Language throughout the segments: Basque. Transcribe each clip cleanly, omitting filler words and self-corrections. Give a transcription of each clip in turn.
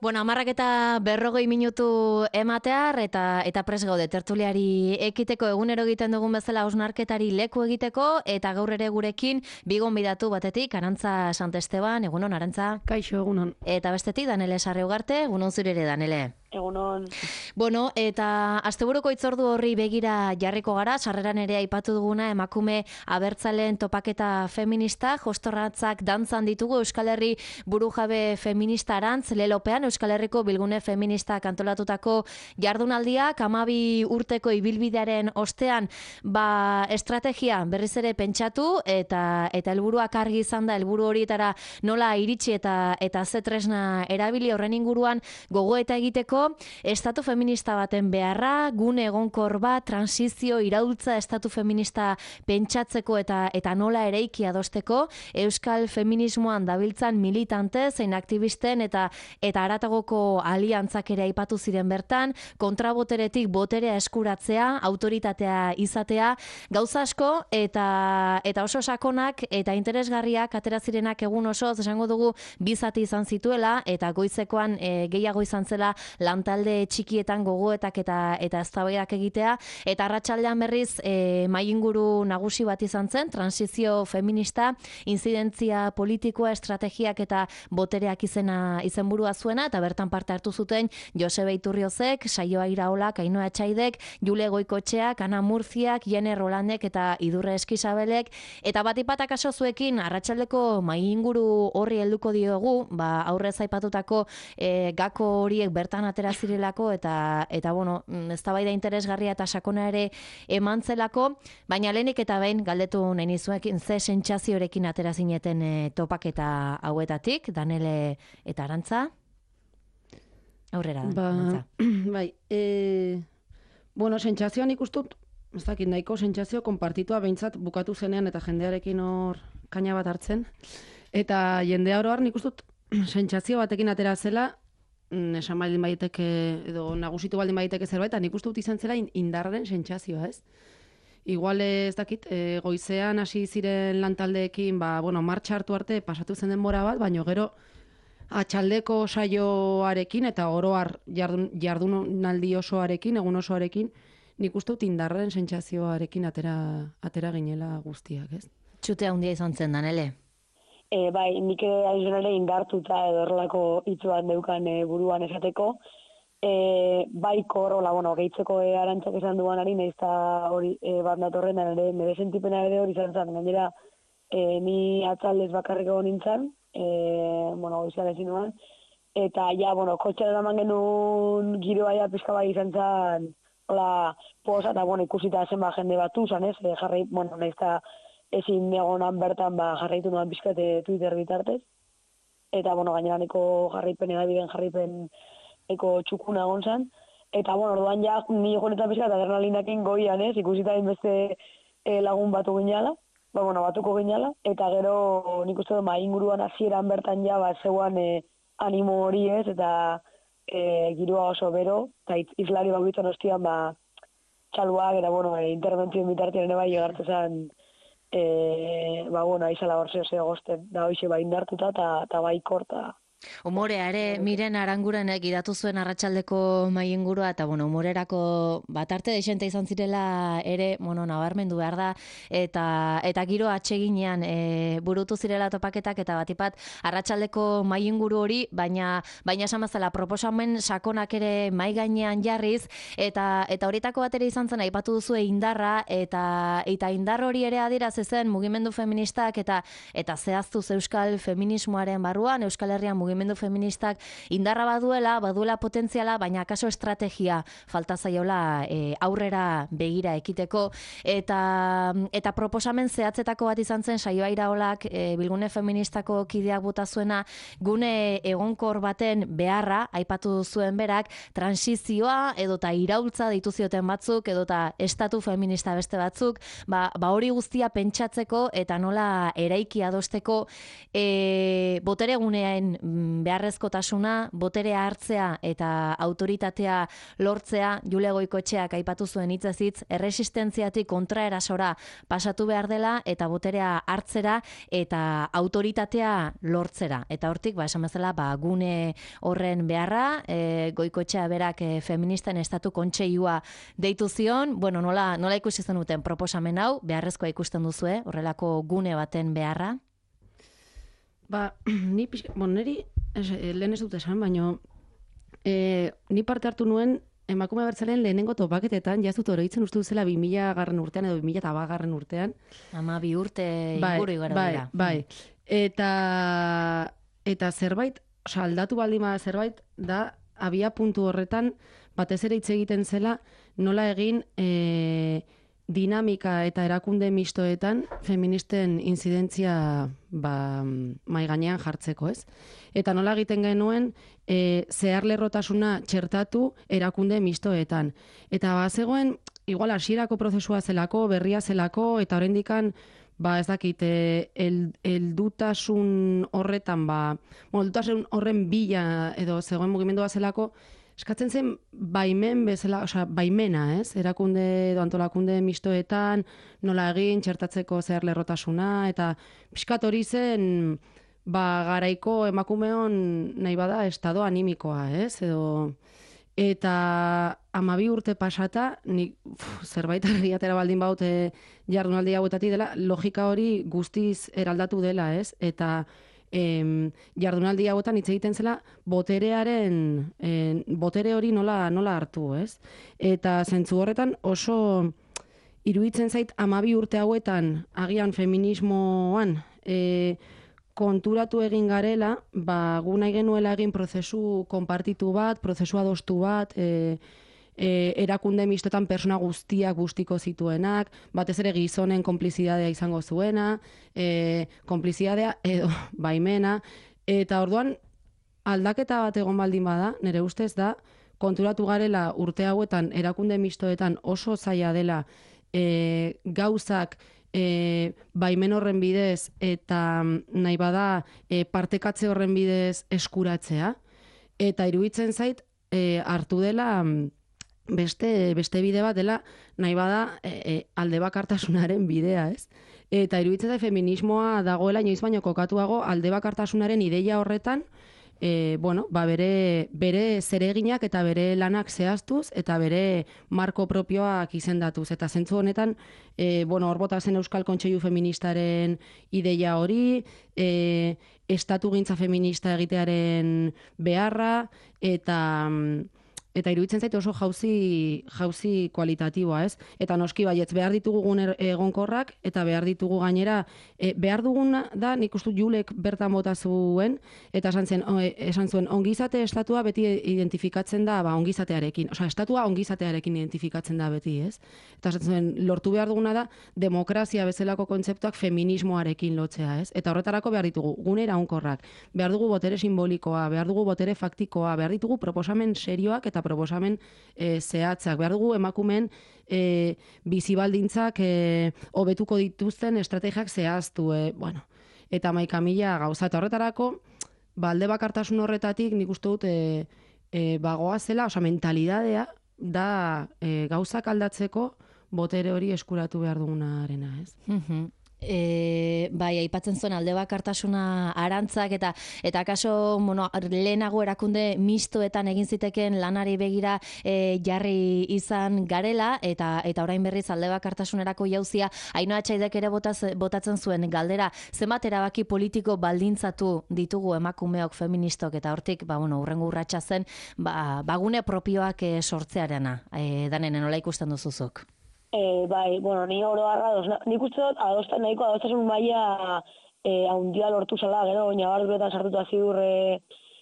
Bueno, 10:40 ematear eta prest gaude tertuliari ekiteko egunero egiten dugun bezala hausnarketari leku egiteko eta gaur ere gurekin bi gonbidatu batetik Arantza Santesteban, egunon Arantza. Kaixo, egunon. Eta bestetik Danele Sarriugarte, egunon zure ere Danele. Egunon. Bueno, eta asteburuko hitzordu horri begira jarriko gara, sarreran ere aipatu duguna emakume abertzaleen topaketa feminista, jostorratzak dantzan ditugu Euskal Herri burujabe feminista arantz, lelopean Euskal Herriko bilgune feminista kantolatutako jardunaldiak 12 urteko ibilbidearen ostean, estrategia berriz ere pentsatu eta helburuak argi izan da, helburu horietara nola iritsi eta ze tresna erabili horren inguruan gogoeta egiteko estatu feminista baten beharra, gune egonkor bat, transizio, iraultza estatu feminista pentsatzeko eta nola ereiki adosteko, euskal feminismoan dabiltzan militante, zein aktivisten eta haratagoko aliantzak ere aipatu ziren bertan, kontraboteretik boterea eskuratzea, autoritatea izatea, gauza asko eta oso sakonak eta interesgarriak atera zirenak egun osoz, esango dugu bizati izan zituela eta goizekoan gehiago izan zela lantalde txikietan gogoetak eta eztabaidak egitea, eta arratsaldean berriz mahai-inguru nagusi bat izan zen, transizio feminista, inzidentzia politikoa, estrategiak eta botereak izenburua zuena, eta bertan parte hartu zuten Josebe Iturriozek, Saioa Iraolak, Ainhoa Etxaidek, Jule Goikotxeak, Ana Murziak, Jene Rolandek eta Idurre Eskizabelek, eta batipat akaso zuekin arratsaldeko mahai-inguru horri helduko diogu, aurrez aipatutako gako horiek bertan atera zirelako eta bueno, eztabaida interesgarria eta sakona ere emantzelako, baina lehenik eta behin galdetu nahi nizuekin ze sentsaziorekin atera zineten topaketa hauetatik, Danele eta Arantza. Aurrera, Arantza. Bai, bueno, sentsazioan ikustut, ez dakit, nahiko sentsazio konpartitua behintzat bukatu zenean eta jendearekin hor kaina bat hartzen, eta jendea oro har nik ustut sentsazio batekin atera zela, esan baldin baiteke edo nagusitu baldin baiteke zerbait, eta nik uste dut izan zela indarren sentsazioa, ez? Igual ez dakit, goizean hasi ziren lantaldeekin, martxa hartu arte pasatu zen denbora bat, baina gero atxaldeko saioarekin eta oro har jardunaldi osoarekin, egun osoarekin, nik uste dut indarren sentsazioarekin atera ginela guztiak, ez? Txute handia izan zen, Danele. Bai, nik ere indartuta edo horrelako hitz bat neukan buruan esateko. Bai korrola, gehitzeko Arantzak esan duanari, nahiz eta hori bat datorren, nire sentipena ere hori izan zen. Gainera, ni atzaldez bakarriko nintzen, goizan ezin nuen, eta kotxean eraman genuen giroa pixka bai izan zen, hola, posa, eta ikusita zenba jende batu zen, ez? Jarri, nahiz eta ezin egonan bertan jarraitu nuen pixkate Twitter bitartez. Eta, gainera niko jarraipen edabideen jarraipen eko txukuna egon zen. Eta, orduan ja, ni jonetan pixkat adrenalinakin goian, ez? Ikusita beste lagun batuko ginala. Eta gero nik uste mahai inguruan hasieran bertan ja, zeuan animo hori, ez? Eta giroa oso bero, eta izlari bakoitzan ostian, txaluak, eta, interbentzioen bitartean ere bai egartu zen, aizala hor zeo gozten, da hoxe indartuta eta bai korta. Umorea ere, Miren Arangurenek idatu zuen arratsaldeko mahai ingurua, eta umorerako batarte deixente izan zirela ere, nabarmendu behar da, eta giro atseginean burutu zirela topaketak, eta batipat arratsaldeko mahai inguru hori, baina esan bezala proposamen sakonak ere mahai gainean jarriz, eta horietako bat ere izan zen aipatu duzue indarra, eta indar hori ere adierazi zen mugimendu feministak eta zehaztuz euskal feminismoaren barruan, Euskal Herrian mugimendu feministak indarra baduela potentziala, baina akaso estrategia falta zaiola aurrera begira ekiteko, eta proposamen zehatzetako bat izan zen Saioa Iraolak bilgune feministako kideak bota zuena, gune egonkor baten beharra, aipatu zuen berak, transizioa edota iraultza ditu zioten batzuk, edota estatu feminista beste batzuk, hori guztia pentsatzeko eta nola eraiki adosteko botere gunean beharrezkotasuna, boterea hartzea eta autoritatea lortzea, Julia Goikoetxeak aipatu zuen hitzez hitz, erresistentziatik kontraerasora pasatu behar dela eta boterea hartzera eta autoritatea lortzera. Eta hortik, esan bezala, gune horren beharra, Goikoetxea berak feministen estatu kontseilua deitu zion, nola ikusi zenuten proposamen hau, beharrezkoa ikusten duzue, horrelako gune baten beharra? Niri, lehen ez dut esan, baina ni parte hartu nuen emakume abertzaleen lehenengo topaketetan, jazut oroitzen uste duzela 2000 garren urtean edo 2000 garren urtean. 12 urte inguru igaro dira. Bai. Eta zerbait, aldatu baldin bada zerbait, da abia puntu horretan batez ere hitz egiten zela nola egin dinamika eta erakunde mistoetan feministen inzidentzia mai gainean jartzeko, ez? Eta nola egiten genuen zeharlerrotasuna txertatu erakunde mistoetan. Eta zegoen, igual hasierako prozesua zelako, berria zelako, eta oraindikan ez dakit, heldutasun horretan, heldutasun horren bila edo zegoen mugimendua zelako, eskatzen zen baimen bezala, baimena, ez? Erakunde edo antolakunde mistoetan, nola egin, txertatzeko zeharlerrotasuna, eta pixkat hori zen, garaiko emakumeon nahi bada estado animikoa, ez? Eta 12 urte pasata, nik zerbait argiatera baldin baute jardunaldi hauetatik dela, logika hori guztiz eraldatu dela, ez? Eta jardunaldi hauetan hitz egiten zela botere hori nola hartu, ez? Eta zentzu horretan oso iruditzen zait 12 urte hauetan agian feminismoan konturatu egin garela, gu nahi genuela egin prozesu konpartitu bat, prozesu adostu bat, erakunde mistotan persona guztiko zituenak, batez ere gizonen konplizidadea izango zuena, konplizidadea edo baimena, eta orduan aldaketa bat egon baldin bada, nire ustez da, konturatu garela urte hauetan erakunde mistoetan oso zaila dela gauzak baimen horren bidez eta nahi bada partekatze horren bidez eskuratzea, eta iruditzen zait hartu dela beste bide bat dela nahi bada alde bakartasunaren bidea, ez? Eta iruditzen zait feminismoa dagoela inoiz baino kokatuago alde bakartasunaren ideia horretan, bere zereginak eta bere lanak zehaztuz eta bere marko propioak izendatuz. Eta zentzu honetan, hor bota zen Euskal Kontseilu Feministaren ideia hori, estatugintza feminista egitearen beharra, eta iruditzen zait oso jauzi kualitatiboa, ez? Eta noski baietz behar ditugu gune egonkorrak, eta behar ditugu gainera, behar duguna da, nik uste Julek bertan bota zuen, eta esan zuen, ongizate estatua beti identifikatzen da ongizatearekin. Estatua ongizatearekin identifikatzen da beti, ez? Eta esan zuen, lortu behar duguna da, demokrazia bezalako kontzeptuak feminismoarekin lotzea, ez? Eta horretarako behar ditugu gune iraunkorrak, behar dugu botere simbolikoa, behar dugu botere faktikoa, behar ditugu proposamen serioak eta proposamen zehatzak. Behar dugu emakumeen bizibaldintzak hobetuko dituzten estrategiak zehaztu. Eta maika mila gauza. Eta horretarako, alde bakartasun horretatik nik uste dut bagoa zela, mentalidadea da gauzak aldatzeko botere hori eskuratu behar dugunarena, ez? Aipatzen zuen alde bakartasuna arantzak eta kaso lehenago erakunde mistoetan egin ziteken lanari begira jarri izan garela eta orain berriz alde bakartasunerako jauzia Ainhoa Etxaidek ere botatzen zuen galdera, zenbat erabaki politiko baldintzatu ditugu emakumeok feministok, eta hortik hurrengo urratsa zen bagune propioak sortzearena, Danene, nola ikusten duzuzuk? Ni oro nik uste dut nahiko adostasun maila haundia lortu zela, gero ñabarduretan sartuta ziur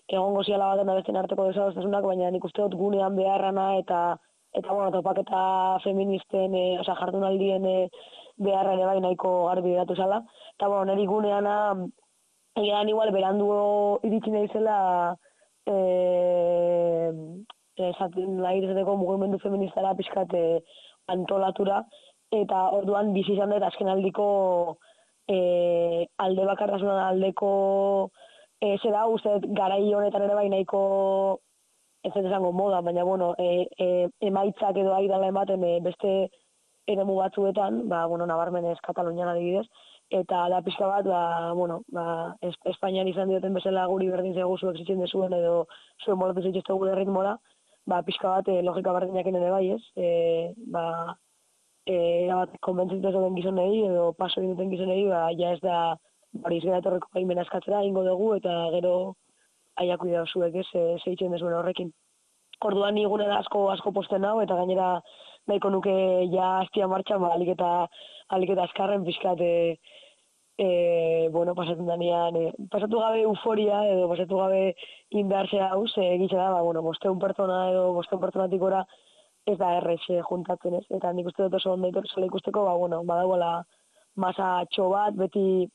egongo ziala baten da besten arteko desadostasunak, baina nik uste dut gunean beharrana eta topaketa feministen, jardunaldien beharra ere bai nahiko garbi geratu zela. Eta niri guneana egan igual berandu iritsi nahi zela izateko mugimendu feministara pixkat antolatura, eta orduan bizi izan dut azkenaldiko alde bakartasunan aldeko zera uste garai honetan ere bai nahiko ez dut esango moda, baina bueno, emaitzak edo ari dela ematen beste eremu batzuetan, nabarmenez Katalunian adibidez, eta da pixka bat, Espainian izan dioten bezala guri berdin zego zuek zitzen dezuen edo zuen molatu zitzizte gure ritmola, pixka bat logika berdinak ere bai ez, erabat konbentzitu zuten gizonei edo paso egin duten gizonei, ja ez da hori izgera etorreko gaimena eskatzera, ingo dugu, eta gero aiaku da zuek ez, zeitzen dezuen horrekin. Orduan ni gune da asko posten hau, eta gainera nahiko nuke ja hastia martxan, alik eta azkarren pixkat, pasatzen danean, pasatu gabe euforia, edo pasatu gabe indartzea hau, egitzen da, bosteun pertsona edo bosteun pertsonatik gora, ez da errez juntatzen ez, eta nik uste dut oso ondo zela ikusteko, badagoela masa txo bat, beti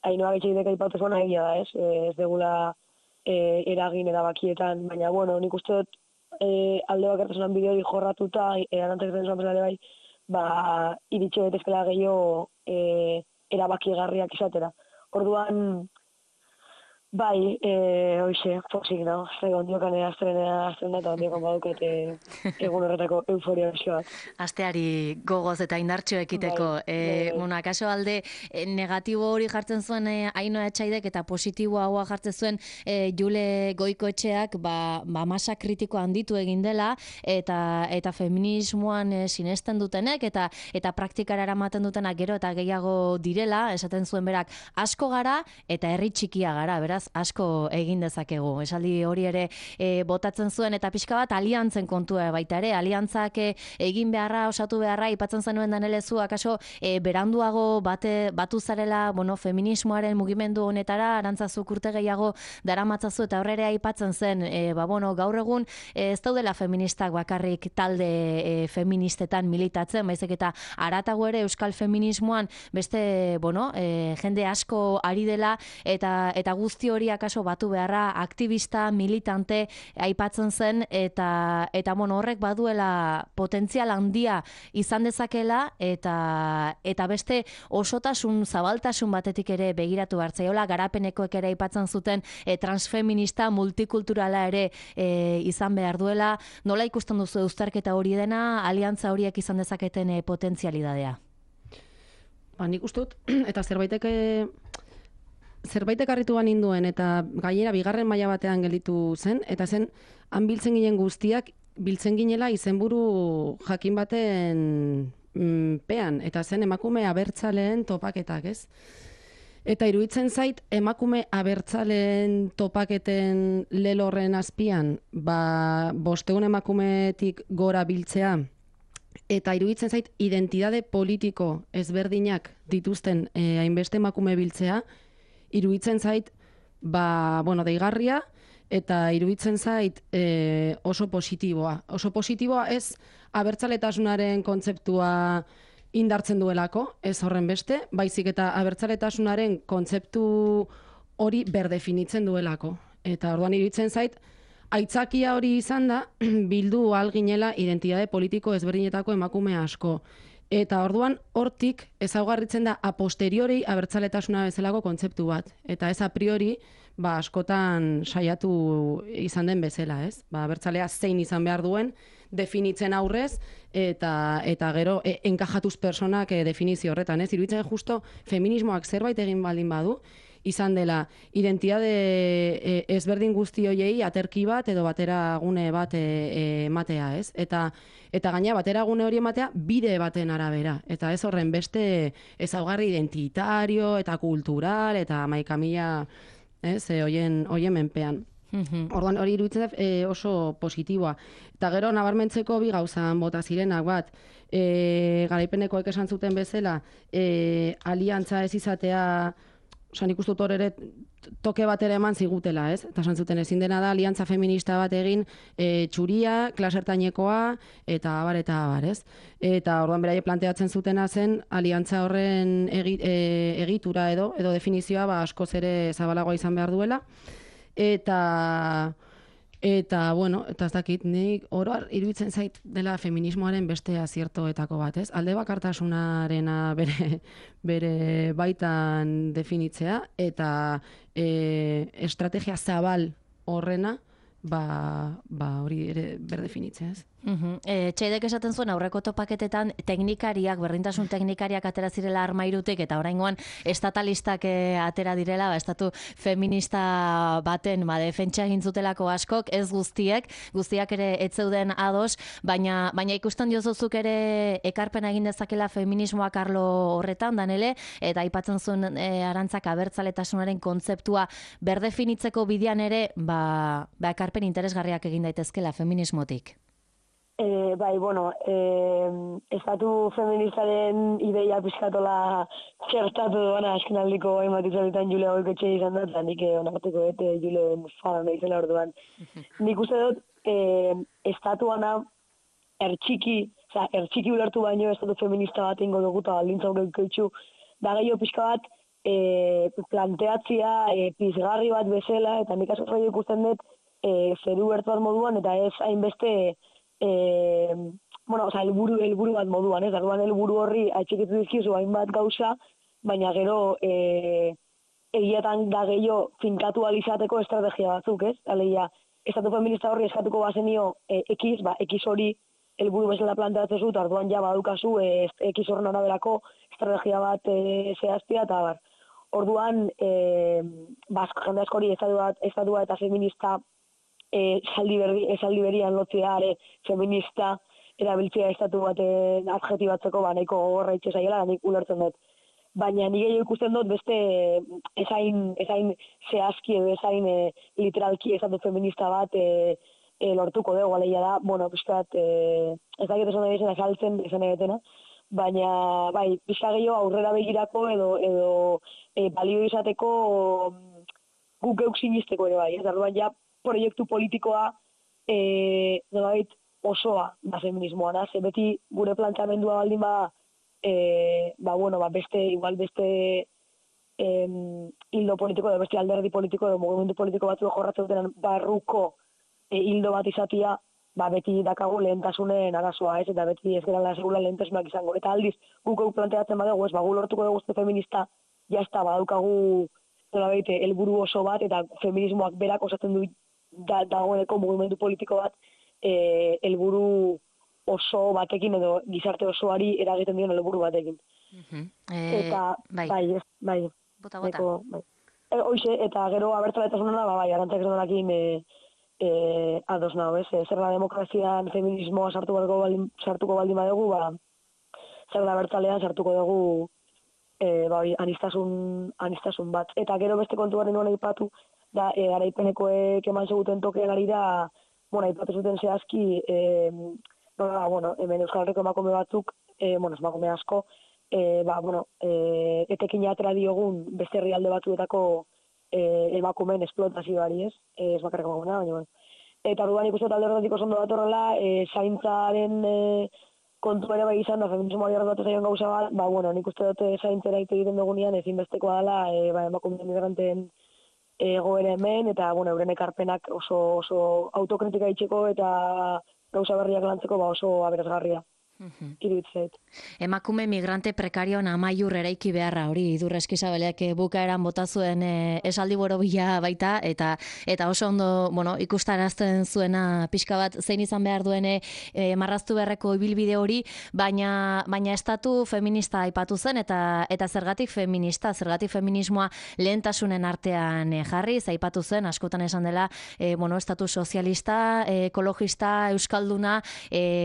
Ainhoa Getxeidek aipatu zuena egia da ez, ez degula eragin erabakietan, baina nik uste dut alde bakartasunan bideori jorratuta, arantzak zen zuan bezala bai, iritxe betezkela gehiago erabakigarriak izatera. Orduan, bai, hoxe, pozik, no? Zegoen diokan astrena eta ondiokan baduket egun horretako euforia bezio bat. Asteari gogoz eta indartxo ekiteko. Akaso alde negatibo hori jartzen zuen Ainhoa Etxaidek eta positibo haua jartzen zuen Jule Goikoetxeak masa kritiko handitu egin dela eta feminismoan sinesten dutenek eta praktikara eramaten dutenak gero eta gehiago direla, esaten zuen berak, asko gara eta herri txikia gara, beraz asko egin dezakegu. Esaldi hori ere botatzen zuen eta pixka bat aliantzen kontua baita ere, aliantzak egin beharra, osatu beharra, ipatzen zenuen danelezu, akaso beranduago batu zarela, feminismoaren mugimendu honetara, arantzazuk urte gehiago daramatzazu eta horrere aipatzen zen, gaur egun ez daudela feministak bakarrik talde feministetan militatzen, baizik eta haratago ere euskal feminismoan beste, jende asko ari dela eta guzti hori akaso batu beharra aktivista, militante aipatzen zen eta horrek baduela potentzial handia izan dezakela eta beste osotasun, zabaltasun batetik ere begiratu hartzaiola, garapenekoek ere aipatzen zuten transfeminista, multikulturala ere izan behar duela. Nola ikusten duzu uztarketa hori dena, aliantza horiek izan dezaketen potentzialidadea? Nik uste dut, eta zerbaitek harrituan induen eta gainera bigarren maila batean gelditu zen, eta zen han biltzen ginen guztiak biltzen ginela izenburu jakin baten pean, eta zen emakume abertzaleen topaketak, ez? Eta iruditzen zait emakume abertzaleen topaketen lelorren azpian, 500 emakumetik gora biltzea, eta iruditzen zait identitate politiko ezberdinak dituzten hainbeste emakume biltzea, iruditzen zait, deigarria, eta iruditzen zait oso positiboa. Oso positiboa ez abertzaletasunaren kontzeptua indartzen duelako, ez horren beste, baizik eta abertzaletasunaren kontzeptu hori berdefinitzen duelako. Eta orduan iruditzen zait, aitzakia hori izan da, bildu alginela identitate politiko ezberdinetako emakume asko. Eta orduan hortik ezaugarritzen da a posteriori abertzaletasuna bezalako kontzeptu bat. Eta ez a priori askotan saiatu izan den bezala, ez? Abertzalea zein izan behar duen definitzen aurrez eta gero enkajatuz personak definizio horretan, ez? Iruditzen justo feminismoak zerbait egin baldin badu, izan dela identitate ezberdin guzti hoiei aterki bat edo bateragune bat ematea, ez? Eta gaina bateragune hori ematea bide baten arabera. Eta ez horren beste ezaugarri identitario eta kultural eta hamaika ez, hoien menpean. Orduan hori iruditzen oso positiboa. Eta gero nabarmentzeko bi gauzan bota zirenak bat, garaipenekoek esan zuten bezala, aliantza ez izatea, nik uste dut hor ere toke bat ere eman zigutela, ez? Eta esan zuten ezin dena da aliantza feminista bat egin txuria, klasertainekoa, eta abar, ez? Eta orduan beraie planteatzen zutena zen aliantza horren egitura edo definizioa askoz ere zabalagoa izan behar duela. Eta Eta, bueno, eta ez dakit, nik oroar iruditzen zait dela feminismoaren beste aziertoetako bat, ez? Alde bakartasunarena bere baitan definitzea, eta estrategia zabal horrena, hori ere berdefinitzea, ez? Txeidek esaten zuen aurreko topaketetan teknikariak, berdintasun teknikariak atera zirela armairutik eta oraingoan estatalistak atera direla, estatu feminista baten defentsa egin zutelako askok, ez guztiak ere ez zeuden ados, baina ikusten diozuzuk ere ekarpena egin dezakela feminismoak arlo horretan, Danele, eta aipatzen zuen Arantzak abertzaletasunaren kontzeptua berdefinitzeko bidean ere, ekarpen interesgarriak egin daitezkela feminismotik. Bai, bueno, estatu feministaren ideia pizkatola txertatu duena askenaldiko hainbat izaletan Jule Goiketxe izan da, eta nik onartuko Julen fana naizela orduan. Nik uste dut, estatuana ertxiki ulertu baino estatu feminista bat ingo dugu eta baldintza Goiketxu, da gehiago pixka bat planteatzia pizgarri bat bezala, eta nik asko ikusten dut zeru bertu bat moduan, eta ez hainbeste helburu bat moduan, ez? Orduan helburu horri atxikitu dizkizu hainbat gauza, baina gero egietan da gehiago finkatu alizateko estrategia batzuk, ez? Alegia, estatu feminista horri eskatuko bazenio X hori helburu bezala planteatzen zut, orduan ja badukazu X horren araberako estrategia bat zehaztia, eta bar. Orduan, jende askori estatua eta feminista esaldi berian lotzea ere feminista erabiltzea estatu baten adjetibatzeko nahiko gogorra itxe zaiela, nik ulertzen dut. Baina nik gehiago ikusten dut beste ezain zehazki edo ezain literalki estatu feminista bat lortuko dugu, aleia da, bueno, pixkat, ez dakit esan da izan azaltzen, esan egetena, baina, bai, pixka gehiago aurrera begirako edo balio izateko guk geuk sinisteko ere bai, ez da, ja, proiektu politikoa osoa da feminismoa, ze beti gure planteamendua baldin beste hildo politiko edo beste alderdi politiko edo mugimendu politiko batzu jorratzen duten barruko hildo bat izatia, beti dakagu lehentasunen arazoa, ez, eta beti ez gerala segula lehentasunak izango. Eta aldiz, guk planteatzen badugu, ez, gu lortuko dugu feminista, jazta, badaukagu helburu oso bat, eta feminismoak berak osatzen du dagoeneko mugimendu politiko bat helburu oso batekin edo gizarte osoari eragiten dion helburu batekin. Eta, bai. Bota. Hoxe, eta gero abertzaletasunena, Arantzak esan ados nago, ez? Zer da demokrazian feminismoa sartuko baldin badugu, zer da abertzalean sartuko dugu anistasun bat. Eta gero beste kontuaren nuen aipatu, da, garaipenekoek eman seguten tokean ari da, aipatu zuten zehazki, hemen Euskal Herriko emakume batzuk, emakume asko, etekin atera diogun beste herrialde batzuetako emakumeen esplotazioari, ez? Ez bakarrik emakumea, baina, eta orduan ikusten talde horretik oso ondo datorrela, zaintzaren kontu ere bai izan da, feminismoari horretu zaion gauza bat, nik uste dute zaintzera egiten dugunean ezinbestekoa dela, emakume migranteen egoera hemen, eta, euren ekarpenak oso autokritika itxeko eta gauza berriak lantzeko oso aberasgarria. Iruditzait. Emakume migrante prekarioan amaiur eraiki beharra, hori Idur Eskizabelek bukaeran bota zuen esaldi borobila baita, eta oso ondo, ikustarazten zuena pixka bat zein izan behar duen marraztu beharreko ibilbide hori, baina estatu feminista aipatu zen, eta zergatik feminismoa lehentasunen artean jarri, aipatu zen, askotan esan dela, estatu sozialista, ekologista, euskalduna,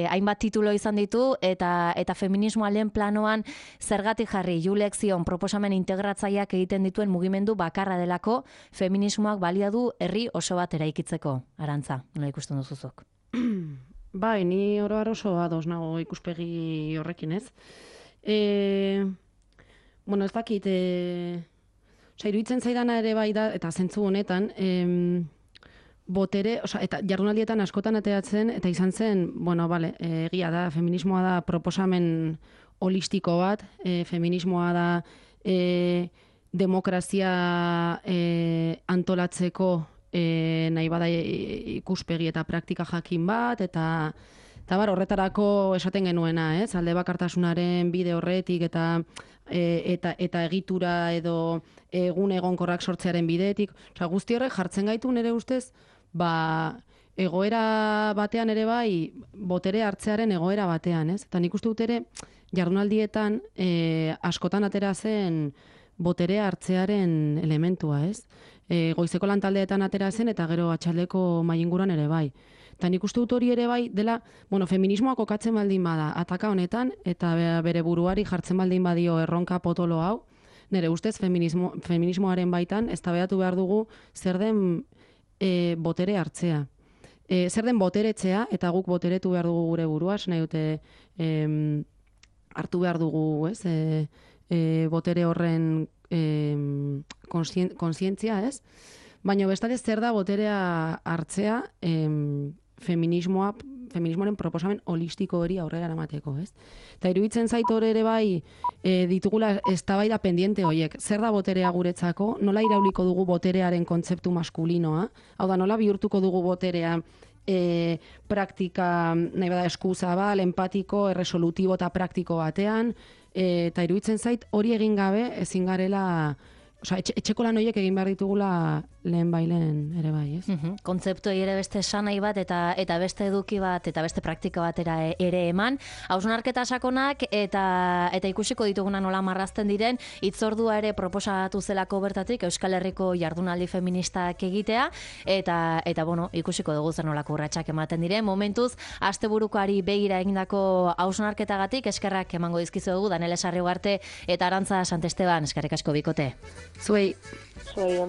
hainbat titulo izan ditu, eta feminismoa lehen planoan zergatik jarri Julek zion proposamen integratzaileak egiten dituen mugimendu bakarra delako feminismoak balia du herri oso bat eraikitzeko. Arantza, nola ikusten duzuzuk? Bai, ni oro har oso ados nago ikuspegi horrekin, ez? Ez dakit, iruditzen zaidana ere bai da, eta zentzu honetan, botere, eta jardunaldietan askotan ateratzen, eta izan zen, egia da, feminismoa da proposamen holistiko bat, feminismoa da demokrazia antolatzeko nahi bada ikuspegi eta praktika jakin bat, eta horretarako esaten genuena, alde bakartasunaren bide horretik eta egitura edo egun egonkorrak sortzearen bidetik. Guzti horrek jartzen gaitu nire ustez, egoera batean ere bai, botere hartzearen egoera batean, Eta nik uste dut ere, jardunaldietan askotan atera zen botere hartzearen elementua, Goizeko lantaldeetan atera zen eta gero atxaldeko mahai-inguruan ere bai. Eta nik uste dut hori ere bai dela, feminismoa kokatzen baldin bada ataka honetan eta bere buruari jartzen baldin badio erronka potolo hau, nire ustez feminismoaren baitan eztabaidatu behar dugu zer den botere hartzea. Zer den boteretzea eta guk boteretu behar dugu gure burua, nahi dute hartu behar dugu, botere horren kontzientzia, Baina bestalde zer da boterea hartzea feminismoaren proposamen holistiko hori aurrera eramateko, Eta iruditzen zait hor ere bai ditugula eztabaida pendiente horiek. Zer da boterea guretzako? Nola irauliko dugu boterearen kontzeptu maskulinoa? Hau da, nola bihurtuko dugu boterea praktika, nahi bada eskuzabal, empatiko, erresolutibo eta praktiko batean, eta iruditzen zait hori egin gabe ezin garela, etxeko lan horiek egin behar ditugula lehen bailen ere bai, Kontzeptuei ere beste esanai bat eta beste eduki bat eta beste praktika batera ere eman. Hausnarketa sakonak eta ikusiko dituguna nola marrazten diren, hitzordua ere proposatu zelako bertatik Euskal Herriko jardunaldi feministak egitea, eta ikusiko dugu zer nolako urratsak ematen diren. Momentuz, asteburukoari begira egindako hausnarketagatik eskerrak emango dizkizuegu Danele Sarriugarte eta Arantza Santesteban, eskerrik asko bikote. Zuei. Zuei,